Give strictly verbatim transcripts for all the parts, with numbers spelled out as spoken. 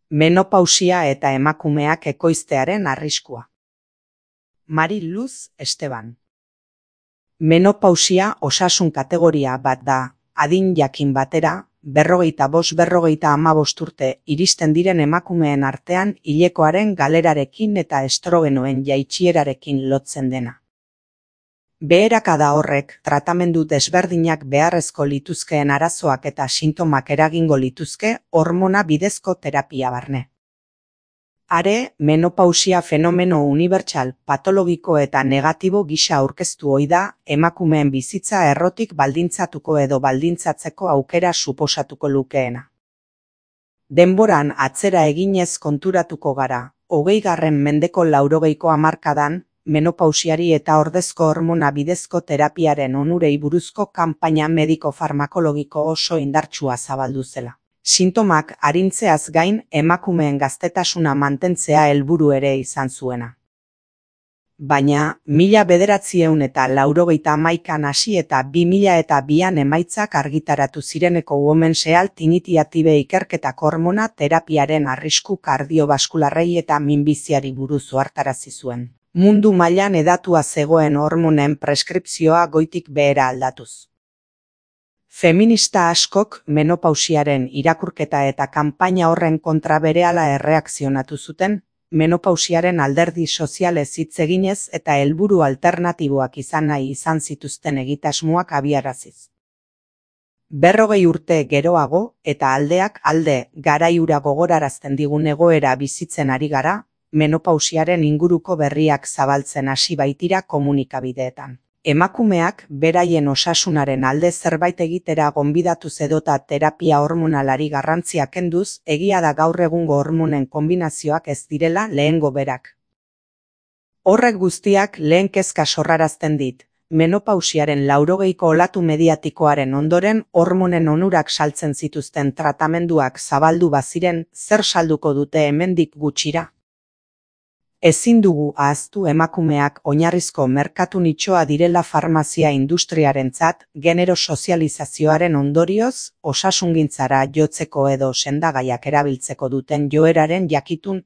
Menopausia eta emakumeak ekoiztearen arriskua. Mari Luz Esteban. Menopausia osasun kategoria bat da, adin jakin batera, berrogeita bost berrogeita hamabost urte iristen diren emakumeen artean hilekoaren galerarekin eta estrogenoen jaitsierarekin lotzen dena. Beherakada horrek tratamendu desberdinak beharrezko lituzkeen arazoak eta sintomak eragingo lituzke hormona bidezko terapia barne. Are, menopausia fenomeno unibertsal, patologiko eta negatibo gisa aurkeztu ohi da, emakumeen bizitza errotik baldintzatuko edo baldintzatzeko aukera suposatuko lukeena. Denboran atzera eginez konturatuko gara, hogeigarren mendeko laurogeiko hamarkadan, menopausiari eta ordezko hormona bidezko terapiaren onurei buruzko kanpaina mediko-farmakologiko oso indartsua zabaldu zela. Sintomak arintzeaz gain emakumeen gaztetasuna mantentzea helburu ere izan zuena. Baina, mila bederatziehun eta laurogeita hamaikan hasi eta bi mila eta bian emaitzak argitaratu zireneko Women's Health Initiative ikerketak hormona terapiaren arrisku kardiobaskularrei eta minbiziari buruz ohartarazi zuen. Mundu mailan hedatua zegoen hormonen preskripzioa goitik behera aldatuz. Feminista askok menopausiaren irakurketa eta kanpaina horren kontra berehala erreakzionatu zuten, menopausiaren alderdi sozialez hitz eginez eta helburu alternatiboak izan nahi izan zituzten egitasmoak abiaraziz. Berrogei urte geroago eta aldeak alde garaiura gogorarazten digun egoera bizitzen ari gara, menopausiaren inguruko berriak zabaltzen hasi baitira komunikabideetan. Emakumeak beraien osasunaren alde zerbait egitera gonbidatuz edota terapia hormonalari garrantzia kenduz, egia da gaur egungo hormonen konbinazioak ez direla lehengo berak. Horrek guztiak lehen kezka sorrarazten dit, menopausiaren laurogeiko olatu mediatikoaren ondoren hormonen onurak saltzen zituzten tratamenduak zabaldu baziren, zer salduko dute hemendik gutxira? Ezin dugu ahaztu emakumeak oinarrizko merkatu nitxoa direla farmazia industriarentzat, genero sozializazioaren ondorioz, osasungintzara jotzeko edo sendagaiak erabiltzeko duten joeraren jakitun.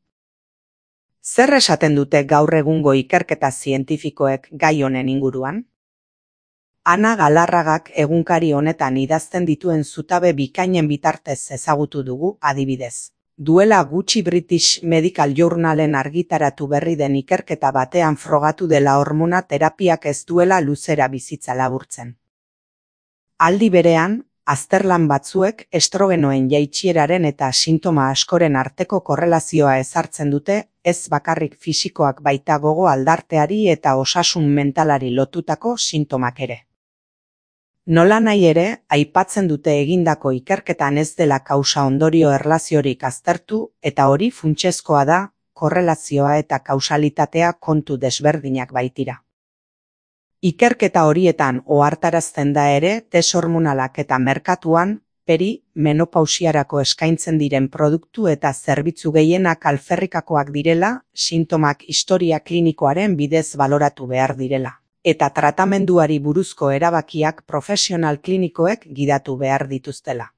Zer esaten dute gaur egungo ikerketa zientifikoek gai honen inguruan? Ana Galarragak egunkari honetan idazten dituen zutabe bikainen bitartez ezagutu dugu, adibidez. Duela gutxi British Medical Journalen argitaratu berri den ikerketa batean frogatu dela hormona terapiak ez duela luzera bizitza laburtzen. Aldi berean, azterlan batzuek estrogenoen jaitsieraren eta sintoma askoren arteko korrelazioa ezartzen dute, ez bakarrik fisikoak baita gogo aldarteari eta osasun mentalari lotutako sintomak ere. Nola nahi ere, aipatzen dute egindako ikerketan ez dela kausa-ondorio erlaziorik aztertu eta hori funtsezkoa da, korrelazioa eta kausalitatea kontu desberdinak baitira. Ikerketa horietan ohartarazten da ere test hormonalak eta merkatuan, peri, menopausiarako eskaintzen diren produktu eta zerbitzu gehienak alferrikakoak direla, sintomak historia klinikoaren bidez baloratu behar direla. Eta tratamenduari buruzko erabakiak profesional klinikoek gidatu behar dituztela.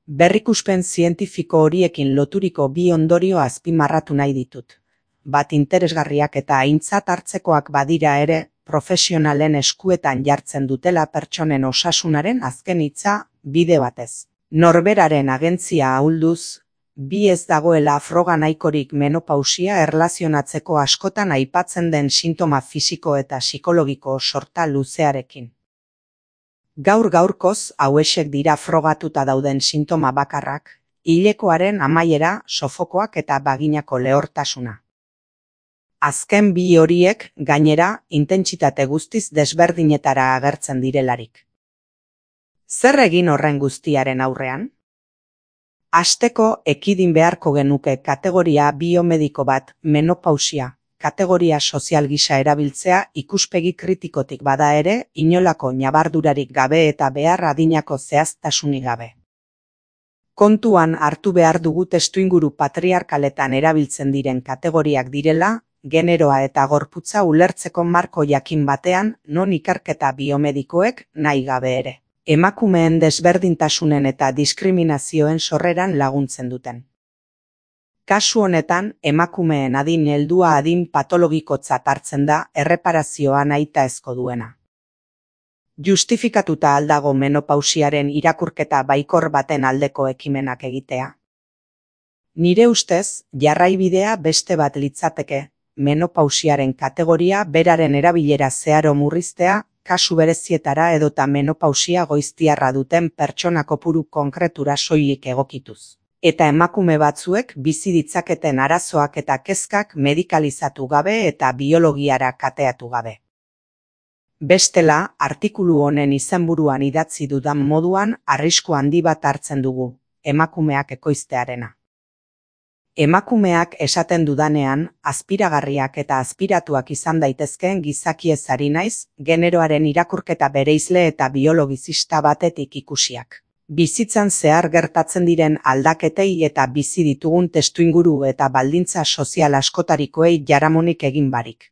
Berrikuspen zientifiko horiekin loturiko bi ondorio azpimarratu nahi ditut. Bat interesgarriak eta aintzat hartzekoak badira ere, profesionalen eskuetan jartzen dutela pertsonen osasunaren azken hitza, bide batez. Norberaren agentzia ahulduz, bi ez dagoela froga nahikorik menopausia erlazionatzeko askotan aipatzen den sintoma fisiko eta psikologiko sorta luzearekin. Gaur gaurkoz hauexek dira frogatuta dauden sintoma bakarrak, hilekoaren amaiera, sofokoak eta baginako lehortasuna. Azken bi horiek, gainera, intentsitate guztiz desberdinetara agertzen direlarik. Zer egin horren guztiaren aurrean? Hasteko ekidin beharko genuke kategoria biomediko bat, menopausia, kategoria sozial gisa erabiltzea ikuspegi kritikotik bada ere, inolako ñabardurarik gabe eta behar adinako zehaztasunik gabe. Kontuan hartu behar dugu testuinguru patriarkaletan erabiltzen diren kategoriak direla, generoa eta gorputza ulertzeko marko jakin batean, non ikerketa biomedikoek nahi gabe ere. Emakumeen desberdintasunen eta diskriminazioen sorreran laguntzen duten. Kasu honetan, emakumeen adin heldua adin patologikotzat hartzen da erreparazioa nahitaezko duena. Justifikatuta aldago menopausiaren irakurketa baikor baten aldeko ekimenak egitea. Nire ustez, jarraibidea beste bat litzateke, menopausiaren kategoria beraren erabilera zeharo murriztea, kasu berezietara edota menopausia goiztiarra duten pertsona kopuru konkretura soilik egokituz. Eta emakume batzuek bizi ditzaketen arazoak eta kezkak medikalizatu gabe eta biologiara kateatu gabe. Bestela, artikulu honen izenburuan idatzi dudan moduan arrisku handi bat hartzen dugu, emakumeak ekoiztearena. Emakumeak esaten dudanean, azpiragarriak eta azpiratuak izan daitezkeen gizakiez ari naiz, generoaren irakurketa bereizle eta biologizista batetik ikusiak. Bizitzan zehar gertatzen diren aldaketei eta bizi ditugun testuinguru eta baldintza sozial askotarikoei jaramonik egin barik.